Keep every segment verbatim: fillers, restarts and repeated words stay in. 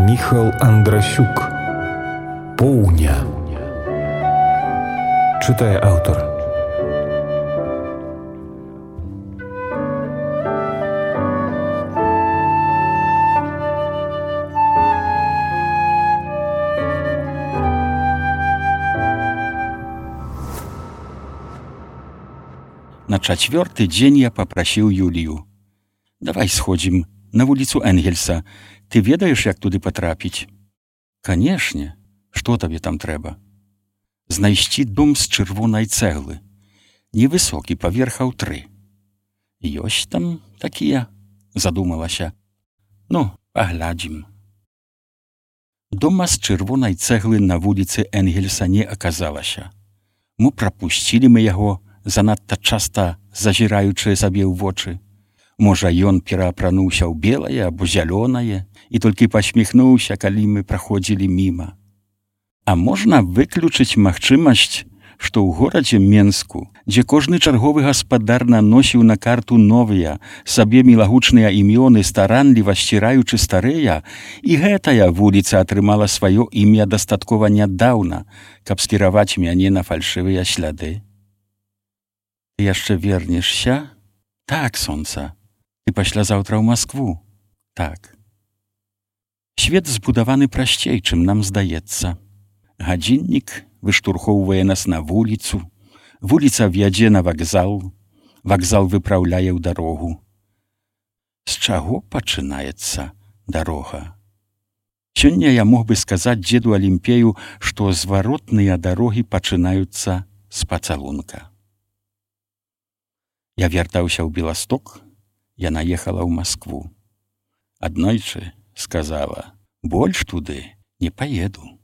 Міхал Андрасюк. Поўня. Чытае аўтар. На чацвёрты дзень я папрасіў Юлію: «Давай сходзім на вуліцу Энгельса. Ты ведаеш, як туды патрапіць?» «Канешне. Што табе там трэба?» «Знайсці дом з чырвонай цэглы. Невысокі, паверхаў тры». «Ёсць там такія?» задумалася. «Ну, паглядзім». Дома з чырвонай цэглы на вуліцы Энгельса не аказалася. Мо прапусцілі мы яго, занадта часта зазіраючы сабе ў вочы. Можа, ён пераапрануўся ў белае або зялёнае і толькі пасміхнуўся, калі мы праходзілі міма. А можна выключыць магчымасць, што ў горадзе Менску, дзе кожны чарговы гаспадар наносіў на карту новыя, сабе мілагучныя імёны, старанліва сціраючы старыя, і гэтая вуліца атрымала сваё імя дастаткова нядаўна, каб скіраваць мяне на фальшывыя сляды. «Ты яшчэ вернешся?» «Так, сонца. Ты паслязаўтра ў Маскву?» «Так». Свет збудаваны прасцей, чым нам здаецца. Гадзіннік выштурхоўвае нас на вуліцу, вуліца вядзе на вакзал, вакзал выпраўляе ў дарогу. З чаго пачынаецца дарога? Сёння я мог бы сказаць дзеду Алімпею, што зваротныя дарогі пачынаюцца з пацалунка. Я вяртаўся ў Беласток, яна ехала ў Маскву. Аднойчы сказала: «Больш туды не паеду».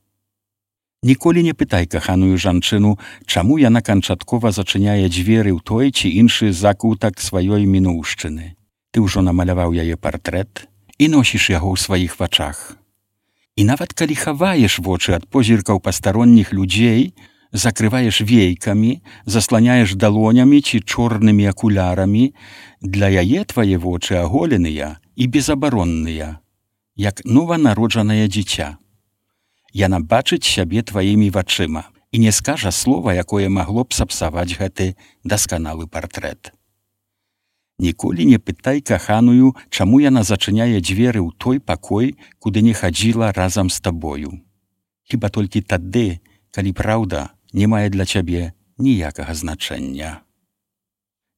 Ніколі не пытай каханую жанчыну, чаму яна канчаткова зачыняе дзверы ў той ці іншы закутак сваёй мінуўшчыны. Ты ўжо намаляваў яе партрэт і носіш яго ў сваіх вачах. І нават калі хаваеш вочы ад позіркаў пастаронніх людзей, закрываеш вейкамі, засланяеш далонямі ці чорнымі акулярамі, для яе твае вочы аголеныя і безабаронныя, як нованароджанае дзіця. Яна бачыць сябе тваімі вачыма і не скажа слова, якое магло б сапсаваць гэты дасканалы партрэт. Ніколі не пытай каханую, чаму яна зачыняе дзверы ў той пакой, куды не хадзіла разам з табою. Хіба толькі тады, калі праўда не мае для цябе ніякага значэння.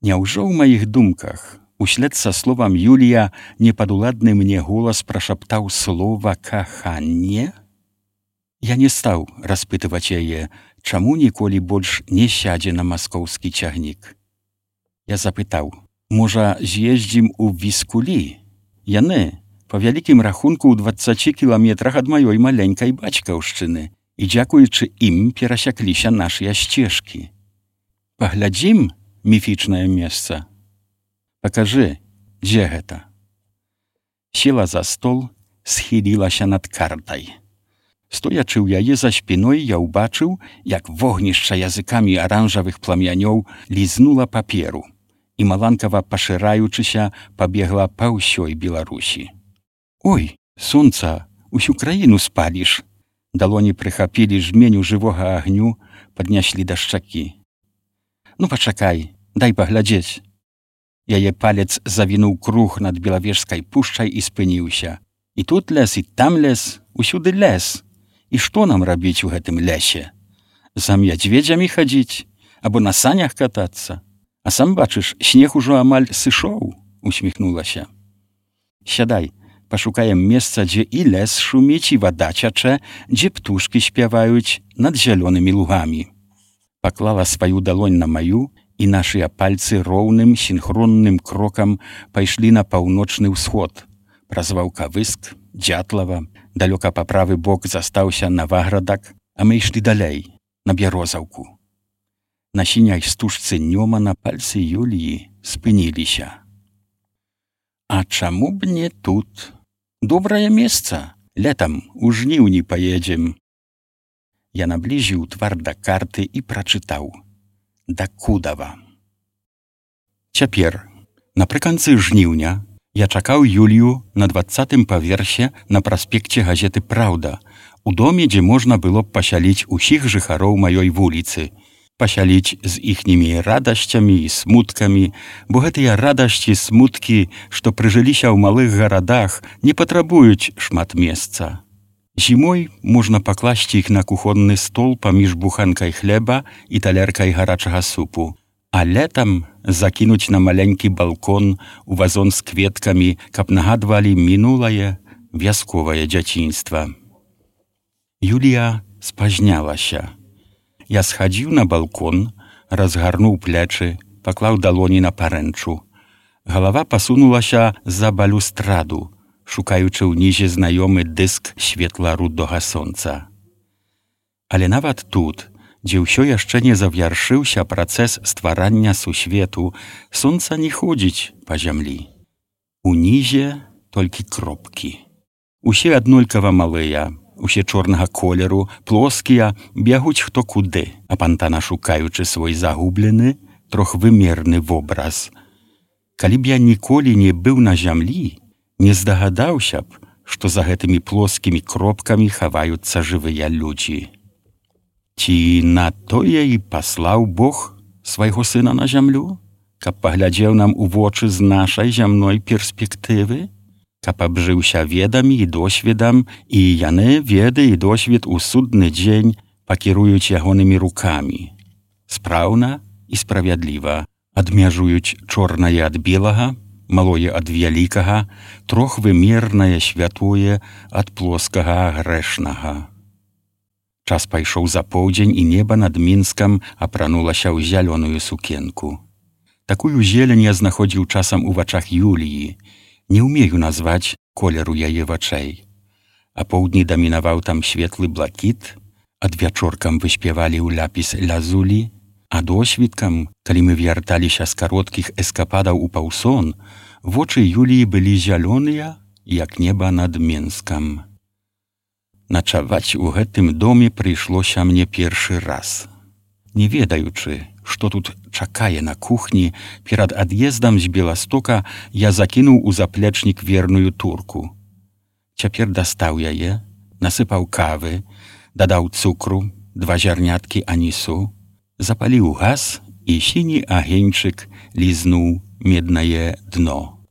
Няўжо ў маіх думках, услед са словам Юлія, непадуладны мне голас прашаптаў слова «каханне»? Я не стаў распытываць яе, чаму ніколі больш не сядзе на маскоўскі цягнік. Я запытаў: «Можа, з'ездзім у Віскулі? Яны, па вялікім рахунку, ў дваццаці кіламетрах ад маёй маленькай бацькаўшчыны, і дзякуючы ім перасякліся нашыя сцежкі. Паглядзім міфічнае месца? Пакажы, дзе гэта?» Села за стол, схілілася над картай. Стоячы ў яе за спіной, я ўбачыў, як вогнішча языкамі аранжавых пламянёў лізнула паперу і, маланкава пашыраючыся, пабегла па ўсёй Беларусі. «Ой, сонца, усю краіну спаліш!» Далоні прыхапілі жменю жывога агню, падняслі да шчакі. «Ну, пачакай, дай паглядзець». Яе палец завінуў круг над Белавежскай пушчай і спыніўся. «І тут лес, і там лес, усюды лес. І што нам рабіць у гэтым лесе? За мядзведзямі хадзіць, або на санях катацца? А сам бачыш, снег ужо амаль сышоў», — усміхнулася. «Сядай, пашукаем месца, дзе і лес шуміць, і вада цячэ, дзе птушкі спяваюць над зялёнымі лугамі». Паклала сваю далонь на маю, і нашыя пальцы роўным сінхронным крокам пайшлі на паўночны ўсход. Праз Ваўкавыск, Дзятлава, далёка па правы бок застаўся Наваградак, а мы ішлі далей, на Бярозаўку. На сіняй стужцы Нёмана пальцы Юліі спыніліся. «А чаму б не тут? Добрае месца. Летам у жніўні паедзем». Я наблізіў твар да карты і прачытаў: «Да Кудава». Цяпер, напрыканцы жніўня, Я чакаў Юлію на двадцатым паверсе на праспекце газеты «Праўда», у доме, дзе можна было б пасяліць усіх жыхароў маёй вуліцы, пасяліць з іхнімі радасцямі і смуткамі, бо гэтыя радасці, смуткі, што прыжыліся ў малых гарадах, не патрабуюць шмат месца. Зімой можна пакласці іх на кухонны стол паміж буханкай хлеба і талеркай гарачага супу, а летам закінуць на маленькі балкон у вазон з кветкамі, каб нагадвалі мінулае вясковае дзяцінства. Юлія спазнялася. Я схадзіў на балкон, разгарнуў плечы, паклаў далоні на парэнчу. Галава пасунулася за балюстраду, шукаючы ўнізе знаёмы дыск светла-рудога сонца. Але нават тут, дзе ўсё яшчэ не завяршыўся працэс стварання сусвету, сонца не ходзіць па зямлі. Унізе толькі кропкі. Усе аднолькава малыя, усе чорнага колеру, плоскія, бягуць хто куды, апантана шукаючы свой загублены, трохвымерны вобраз. Калі б я ніколі не быў на зямлі, не здагадаўся б, што за гэтымі плоскімі кропкамі хаваюцца жывыя людзі. Ці на тое і паслаў Бог свайго сына на зямлю, каб паглядзеў нам у вочы з нашай зямной перспектывы, каб абжыўся ведамі і досведам, і яны, веды і досвед у судны дзень пакіруюць ягонымі рукамі. Спраўна і справядліва адмяжуюць чорнае ад белага, малое ад вялікага, трохвымернае святое ад плоскага грэшнага. Час пайшоў за поўдзень, і неба над Мінскам апранулася ў зялёную сукенку. Такую зелень я знаходзіў часам у вачах Юліі. Не ўмею назваць колеру яе вачэй. А поўдні дамінаваў там светлы блакіт, адвячоркам выспявалі ў ляпіс лязулі, а досвіткам, калі мы вярталіся з кароткіх эскападаў у паўсон, вочы Юліі былі зялёныя, як неба над Мінскам. Начаваць у гэтым доме прыйшлося мне першы раз. Не ведаючы, што тут чакае на кухні, перад ад'ездам з Беластока я закінуў у заплечнік верную турку. Цяпер дастаў яе, насыпаў кавы, дадаў цукру, два зярняткі анісу, запаліў газ, і сіні агеньчык лізнуў меднае дно.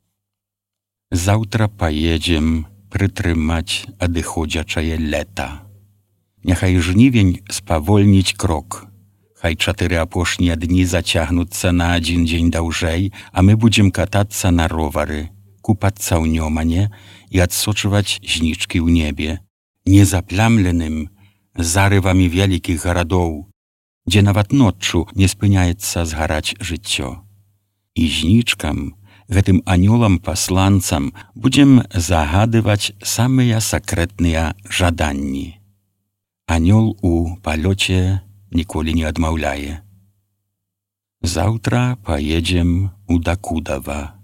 Заўтра паедзем прытрымаць адыходзячае лета. Няхай жнівень спавольніць крок. Хай чатыры апошнія дні зацягнуцца на адзін дзень даўжэй, а мы будзем катацца на ровары, купацца ў нёмане і адсочваць знічкі ў небе, незаплямленым зарывамі вялікіх гарадоў, дзе нават ноччу не спыняецца згараць жыццё. І знічкам, гэтым анёлам-пасланцам будзем загадываць самыя сакрэтныя жаданні. Анёл у палёце ніколі не адмаўляе. Заўтра паедзем у Дакудава.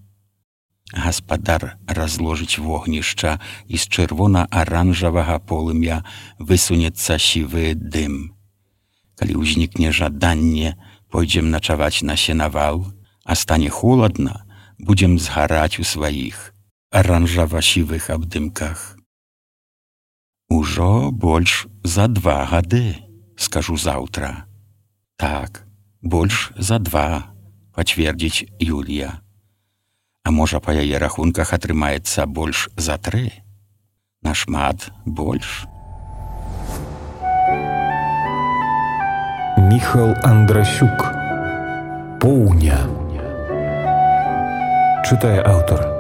Гаспадар разложыць вогнішча, і з чырвона-аранжавага полымя высунецца сівы дым. Калі ўзнікне жаданне, пойдзем начаваць на сенавал, а стане холадна, будзем згараць у сваіх аранжава-сівых абдымках. Ужо больш за два гады, скажу заўтра. Так, больш за два, пацвердзіць Юлія. А можа, па яе рахунках атрымаецца больш за тры? Нашмат больш. Міхал Андрасюк. Поўня. Чытае аўтар.